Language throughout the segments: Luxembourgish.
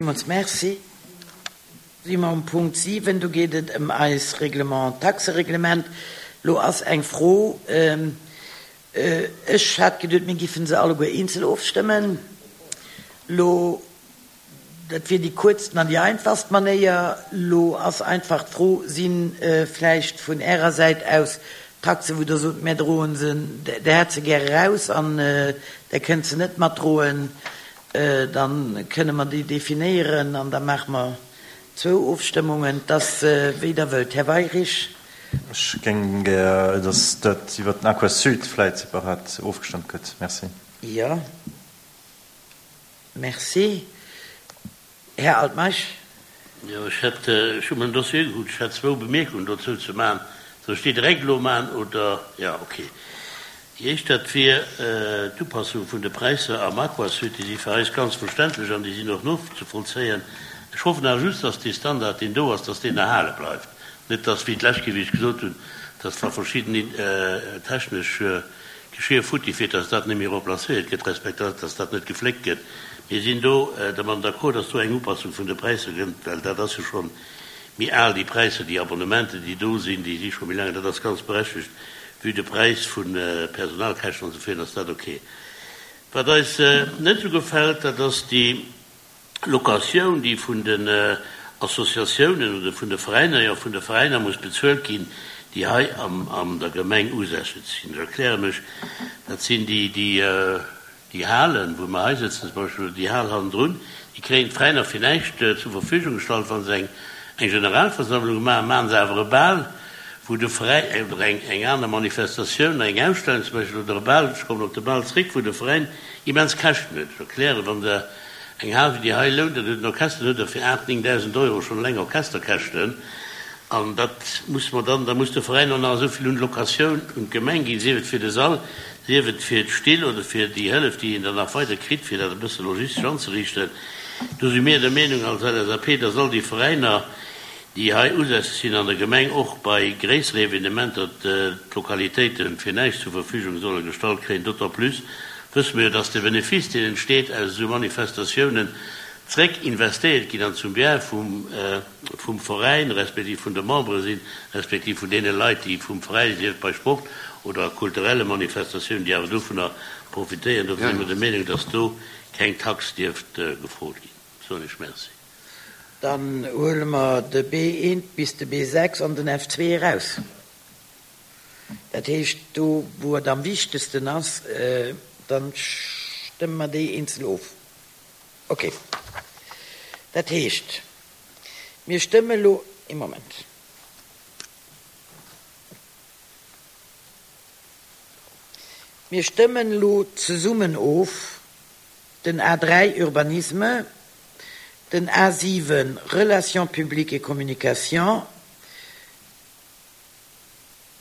Villmools Merci. Si mer um Punkt 7, do geet et ëm eis Règlement, Taxereglement. Lo ass eng Fro, ech hat geduet, mir giffen se alleguer eenzel ofstëmmen. Lo, dat wier déi kuerzten an déi einfachst Manéier. Lo ass einfach d'Fro, si vläicht vun Ärer Säit aus Taxen, wou Der sot, mär droen se, Der hätt se gär eraus an Der kënnt se net matdroen. Da kënne mer déi definéieren an da maache mer zwou Ofstëmmungen. Et ass wéi Der wëllt, Här Weyrich. Ech géing gär, datt dat iwwert den Aquasud vläit separat ofgestëmmt gëtt. Merci. Jo. Merci. Här Altmeisch. Jo, ech hätt, ech hu mer den Dossier ugekuckt, ech hätt zwou Bemierkungen dozou ze maachen. Soll ech déi direkt elo maachen oder? Jo, okay. Déi éischt, dat wier d'Upassung vun de Präisser am Aquasud. Déi si fir eis ganz verständlech an déi sinn och nozevollzéien. Ech hoffen awer just, dass dee Standard, deen do ass, dass deen erhale bleift. Net dass, wéi d'lescht Kéier, wéi ech gesot hunn, dass wa verschidden technesch Geschir futti fir dass dat net méi remplacéiert gëtt, respektiv dass dat net gefléckt gëtt. Mir sinn do dermat d'accord, dass do eng Upassung vun de Präisser gëtt, well dat ass jo scho méi al, déi Präisser, déi Abonnementen, déi do sinn, déi si scho méi laang. Dat ass ganz berechtigt. Vue de Präis vu Personalkäschten an esou virun ass dat ok. Wat eis net esou gefält, dat ass déi Locatioun, déi vun den Associatiounen oder vun de Veräiner, jo, vun de Veräiner muss bezuelt ginn, déi hei an der Gemeng usässeg sinn. Ech erkläre mech, Dat sinn déi, déi déi Halen, wou mer hei sëtzen zum Beispill, oder déi Hal hannendrun, déi kréien d'Veräiner fir näischt zur Verfügung gestallt. Wa se eng Generalversammlung maachen, maache se awer e Bal, wou de Veräin, oder eng aner Manifestatioun, eng Ausstellung zum Beispill, oder e Bal, ech kommen op de Bal zréck, wou de Veräin immens Käschten huet. Ech erklären, Wann Der Eng Hal wéi déi hei lount, dat huet en Orchester, dann huet Der fir 8, 9.000 Euro schonn eleng Orchesterkäschten. An dat muss mer dann, da muss de Veräin och nach esou vill un d'Locatioun un d'Gemeng ginn, sief et fir de Sall, sief et fir d'Still oder fir déi Hëllef, déi een dann nach weider kritt, fir dat e bësse logistesch anzeriichten. Do si mir der Meenung als LSAP, dass all déi Veräiner, déi hei usässeg sinn an der Gemeng, och bei gréissere Evenementer d'Lokalitéite fir näischt zur Verfügung solle gestallt kréien. D'autant plus wësse mir jo, dass de Benefice, deen entsteet aus esou Manifestatiounen, zréck investéiert ginn an zum Bien vum Veräin respektiv vun de Membere sinn, respektiv vun deene Leit, déi vum Veräin, sief et bei Sport oder kulturelle Manifestatiounen, déi awer dovunner profitéieren. Dofir si mir der Meenung, dass do keng Tax dierft gefrot ginn. Soen ech Merci. Dann huele mer de B1 bis de B6 an den F2 eraus. Dat heescht, do wou et am wichtegsten ass, da stëmme mer déi eenzel of. Okay. Dat heescht, mir stëmme elo, ee Moment. Mir stëmmen elo zesummen of den A3 Urbanisme, den A7 Relations publiques et communication,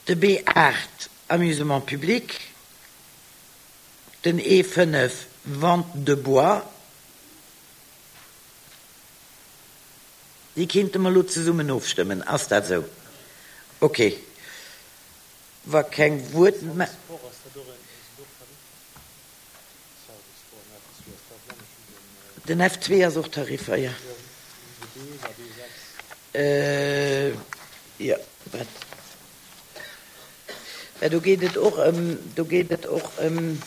de B8 Amusement public, den E5 Vente de bois. Déi kéinte mer elo zesummen ofstëmmen. Ass dat esou? Okay. Wa keng Wuert. Den F2 ass och Tariffer, jo. Jo, wat? Mä do geet et och ëm, do geet et och ëm,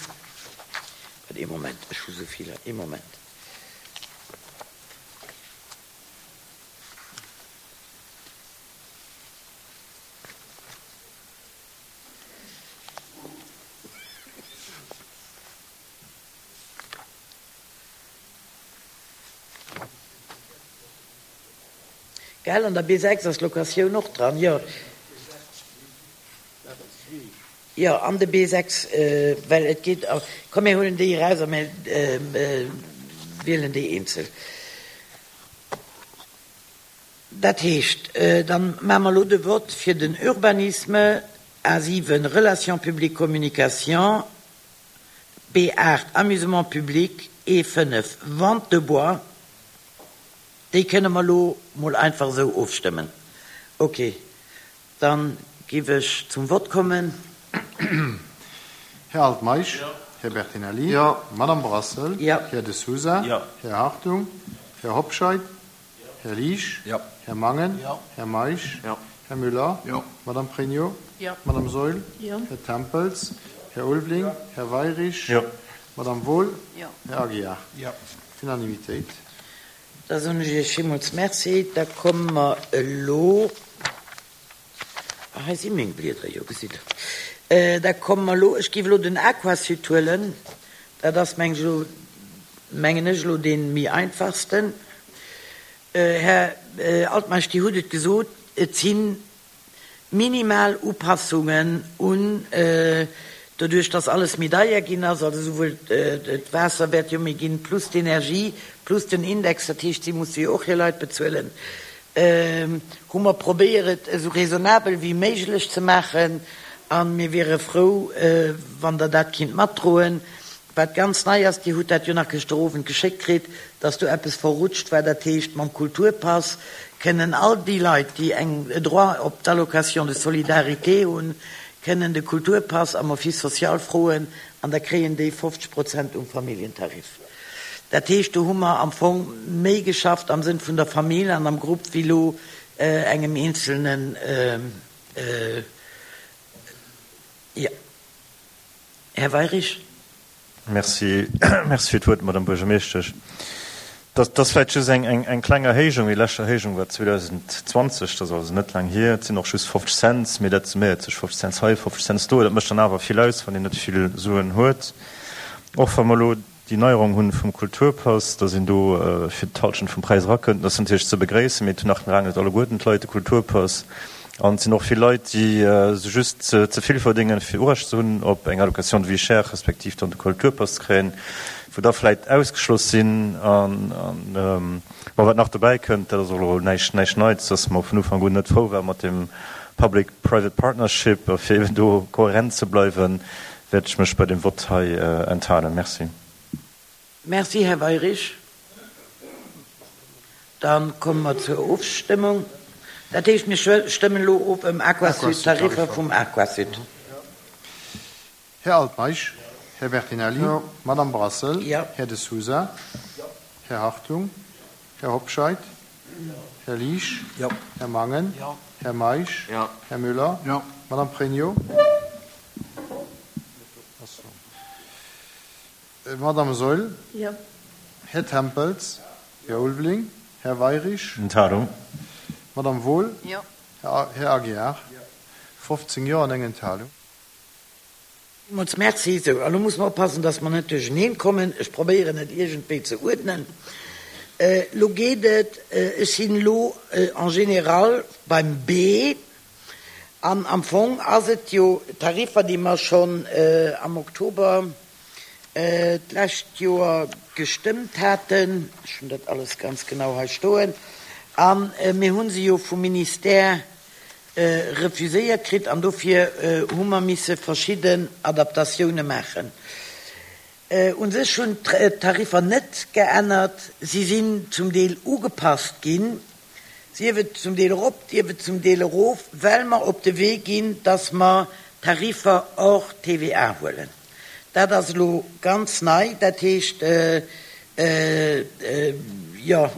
wat, ee Moment, ech hu sou vill hei, ee Moment. Gell, an der B6 ass d'Locatioun och dran, jo. Jo, an de B6, well et geet, komm mir huelen déi eraus a mir wielen déi eenzel. Dat heescht, da maache mer elo de Vott fir den Urbanisme, A7, Relations publiques, communication, B8, Amusement public, E5, Vente de bois. Déi kënne mer elo mol einfach esou ofstëmmen. Ok, da giff ech zum Vott kommen. Här Altmeisch? Här Bertinelli? Madame Brassel? Här De Sousa? Här Hartung? Här Hobscheit? Här Liesch? Här Mangen? Här Meisch? Här Müller? Madame Pregno? Madame Saeul? Här Tempels? Här Ulveling? Här Weirich? Madame Wohl? Här Aguiar? Unanimitéit. Da soen ech Iech villmools Merci. Da komme mer elo, ah, hei si meng Blieder, jo, gesitt Der. Da komme mer elo, ech géif elo den Aquasud huelen, dat ass, meng ech elo, mengen ech elo, dee méi einfachsten. Här Altmeisch, Dir hutt et gesot, et sinn minimal Upassungen un, doduerch dass alles méi deier ginn ass, also souwuel d'Waasser wäert jo méi ginn, plus d'Energie, plus den Index, dat heescht si musse jo och hir Leit bezuelen, hu mer probéiert et esou raisonnabel wéi méiglech ze maachen a mir wiere frou wann Der dat kinnt matdroen. Wat ganz nei ass, Dir hutt dat jo nach gëschter Owend geschéckt kritt, dass do eppes verrutscht war, dat heescht, mam Kulturpass kënnen all déi Leit, déi eng Droit op d'Allocation de solidarité hunn, kënnen de Kulturpass am Office social froen an da kréien déi 50 Prozent um Familljentarif. Dat heescht, do hu mer am Fong méi geschafft am Sënn vun der Famill an am Grupp wéi elo engem eenzelnen, jo. Här Weirich. Merci, merci fir d'Wuert, Madame Buergermeeschtesch. Dat ass vläicht just eng, eng kleng Erhéijung. Déi lescht Erhéijung war 2020, dat ass also net laang hier. Et sinn och just 50 Cents, mee dat summéiert sech, 50 Cents hei, 50 Cents do. Dat mécht dann awer vill aus, wann een net vill Suen huet. Och wa mer elo déi Neierung hunn vum Kulturpass, dass een do fir d'Halschent vum Präis erakënnt, dat ass natierlech ze begréissen, mee et hunn nach laang net alleguerten d'Leit de Kulturpass. An et sinn och vill Leit, déi esou just ze vill verdéngen, fir Urecht ze hunn op eng Allocation de vie chère, respektiv dann de Kulturpass ze kréien, wou da vläicht ausgeschloss sinn. An, bon, wat nach dobäi kënnt, dat ass och elo näischt, näischt Neits, dass mer vun Ufank un net frou ware mat deem Public-Private Partnership. A fir eben do kohärent ze bleiwen, wäert ech mech bei deem Vott hei enthalen. Merci. Merci, Här Weirich. Da komme mer zur Ofstëmmung. Dat heescht, mir stëmmen elo of ëm Aquasud, d'Tariffer vum Aquasud. Här Altmeisch, Här Bertinelli, Madame Brassel, Här De Sousa, Här Hartung, Här Hobscheit, Här Liesch, Här Mangen, Här Meisch, Här Müller, Madame Pregno, Madame Saeul, Här Tempels, Här Ulveling, Här Weirich, Enthalung. Madame Wohl, Här Aguiar, 15 Jo an eng Enthalung. Villmools Merci. Sou, a lo musse mer oppassen, dass mer net duercheneen kommen. Ech probéieren et iergendwéi ze uerdnen. Lo geet et, ech sinn elo en général beim B, an am Fong ass et jo Tariffer, déi mer schonn am Oktober d'lescht Joer gestëmmt haten. Ech hunn dat alles ganz genau hei stoen. A mir hu se jo vum Ministère refuséiert kritt an dofir hu mer misse verschidden Adaptatioune maachen. U sech hunn d'Tariffer net geännert, si sinn zum Deel ugepasst ginn, sief et zum Deel erop, sief et zum Deel erof, well mer op de Wee ginn, dass mer Tariffer hors TVA huelen. Dat ass elo ganz nei. Dat heescht, jo,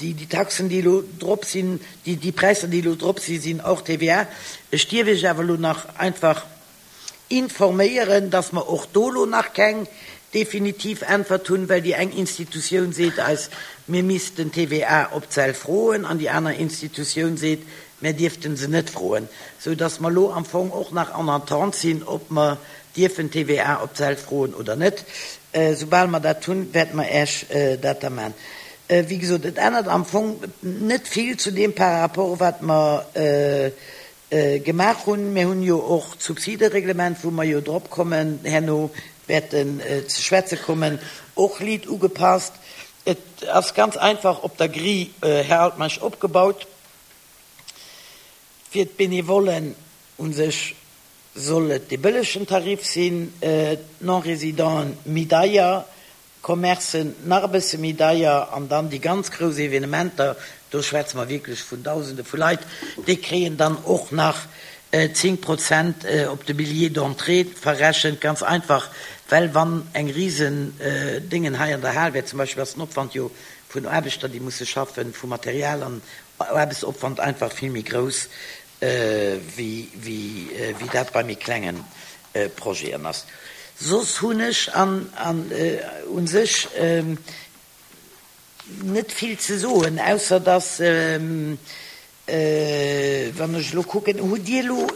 déi Taxen, déi elo drop sinn, déi Präisser, déi elo drop sinn, sinn hors TVA. Ech dierf Iech awer elo nach einfach informéieren, dass mer och do elo nach keng definitiv Äntwert hunn, well déi eng Institutioun seet eis, mir missten d'TVA op d'Säll froen, an déi aner Institutioun seet, mär dierfte se net froen, sou dass mer elo am Fong och nach en attente sinn, ob mer dierfen d'TVA op d'Säll froen oder net. Soubal mer dat hunn, wäerte mer Äech dat da maachen. Wéi gesot, et ännert am Fong net vill zu deem par rapport wat mer gemaach hunn. Mir hunn jo och d'Subsidereglement, wou mer jo drop kommen, herno wäerten ze schwätze kommen, och liit ugepasst. Et ass ganz einfach op der Grille, Här Altmeisch, opgebaut. Fir d'Benevollen u sech soll et dee bëllegen Tarif sinn, d'Non-Résidenten méi deier Commercen nach e bësse méi deier an dann déi ganz grouss Evenementer, do schwätze mer wierklech vun Dausende vu Leit, déi kréien dann och nach 10 Prozent op de Billet d'entrée verrechent. Ganz einfach, well wann eng risen Déngen hei an der Hal wär zum Beispill, ass den Opwand jo. vun Aarbechter, déi musse schaffen, vu Material an Aarbechtsopwand einfach vill méi grouss, wéi dat bei méi klenge Projeten ass. Soss hunn ech u sech net vill ze soen, ausser dass, wann ech elo kucken, hutt Dir elo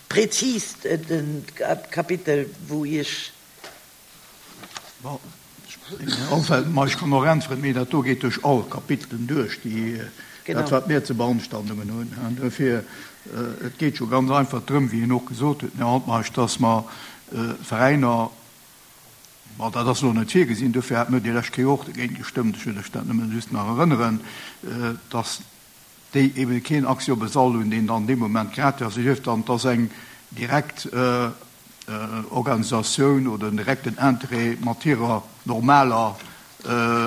prezis de Kapitel, wou Iech. Bon, ech kann och äntweren, mee dat do geet duerch all Kapitelen duerch, déi, dat wat mir ze Beanstandungen hunn. An duerfir, et geet jo ganz einfach drëm, wéi en och gesot huet, den Här Altmeisch, dass mer Veräiner, Bon, dat ass elo net virgesinn, duerfir hate mir déi lescht Kéier och dogéint gestëmmt, ech wëll lech dat nëmmen just nach erënneren, dass déi eebe keen Accès op e Sall hunn, deen dann dee Moment gratuit ass. Sief dann, et ass eng direkt Organisatioun oder en direkten Interêt mat hirer normaler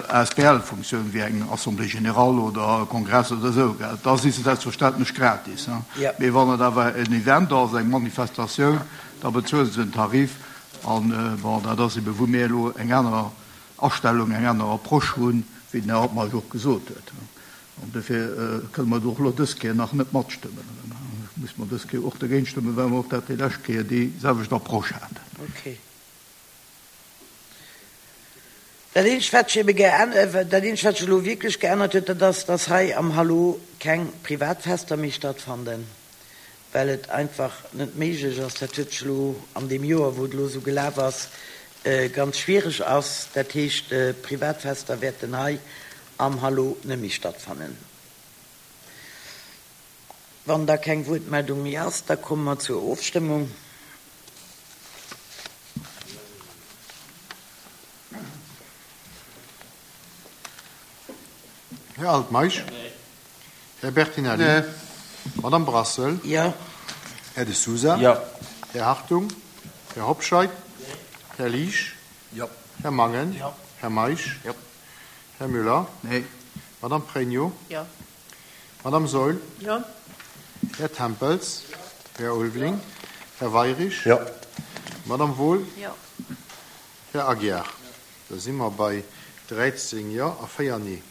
Asbl-Funktioun, wéi eng Assemblée générale oder e Kongress oder esou, da si se selbstverständlech gratis. Mee wann et awer en Event ass, eng Manifestatioun, da bezuele se en Tarif. An, bon, dat ass ebe wou mir elo eng aner Astellung, eng aner Approche hunn, wéi den Här Altmeisch och gesot huet. An dofir kënne mer do och elo dës Kéier nach net matstëmmen. Da muss mer dës Kéier och dergéint stëmmen, well mer och dat déi lescht Kéier déi selwecht Approche haten. Okay. Dat eenzegt, wat sech ebe geännert, dat eenzegt, wat sech elo wierklech geännert huet, dat ass, dass hei am Hallo keng Privatfester méi stattfanden, well et einfach net méiglech ass. Dat huet sech elo an deem Joer, wou et elo esou gelaf ass, ganz schwiereg ass. Dat heescht, Privatfester wäerten hei am Hallo net méi stattfannen. Wann da keng Wuertmeldung méi ass, da komme mer zur Ofstëmmung. Här Altmeisch? Här Bertinelli? Madame Brassel? Jo. Här De Sousa? Jo. Här Hartung? Här Hobscheit? Här Liesch? Jo. Här Mangen? Jo. Här Meisch? Jo. Här Müller? Nee. Madame Pregno? Jo. Madame Saeul? Jo. Här Tempels? Här Ulveling? Här Weirich? Jo. Madame Wohl? Jo. Här Aguiar? Da si mer bei 13 Jo a 4 Nee.